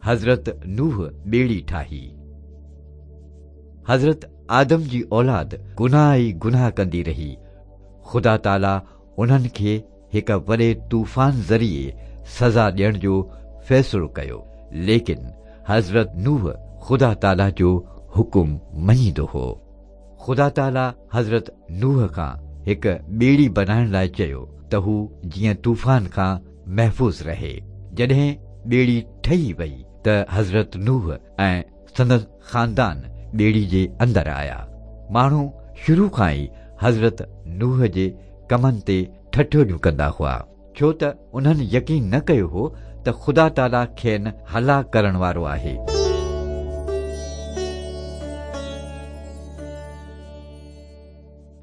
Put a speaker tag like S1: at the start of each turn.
S1: حضرت نوح ٻيڙي ٺاهي. حضرت آدم جي اولاد گناهه ئي گناهه ڪندي رهي. خدا تعاليٰ انهن کي هڪ وڏي طوفان ذريعي سزا ڏيڻ جو فيصلو ڪيو، ليڪن حضرت نوح خدا تعاليٰ جو حڪم مڃيندو هو. خدا تعاليٰ حضرت نوح کان هڪ ٻيڙي بنائڻ لاء چيو ته هو جيئن طوفان کان محفوظ رهي. جڏهن ٻيڙي ٺهي وئي ته حضرت نوح ۽ سندس خاندان ٻيڙي جي اندر آيا. ماڻهو شروع کان ئي حضرت نوح جي ڪمن تي ٺٺوليون ڪندا هئا، ڇو ته انهن يقين نه ڪيو هو ته خدا تعاليٰ کين هلاڪ ڪرڻ وارو آهي.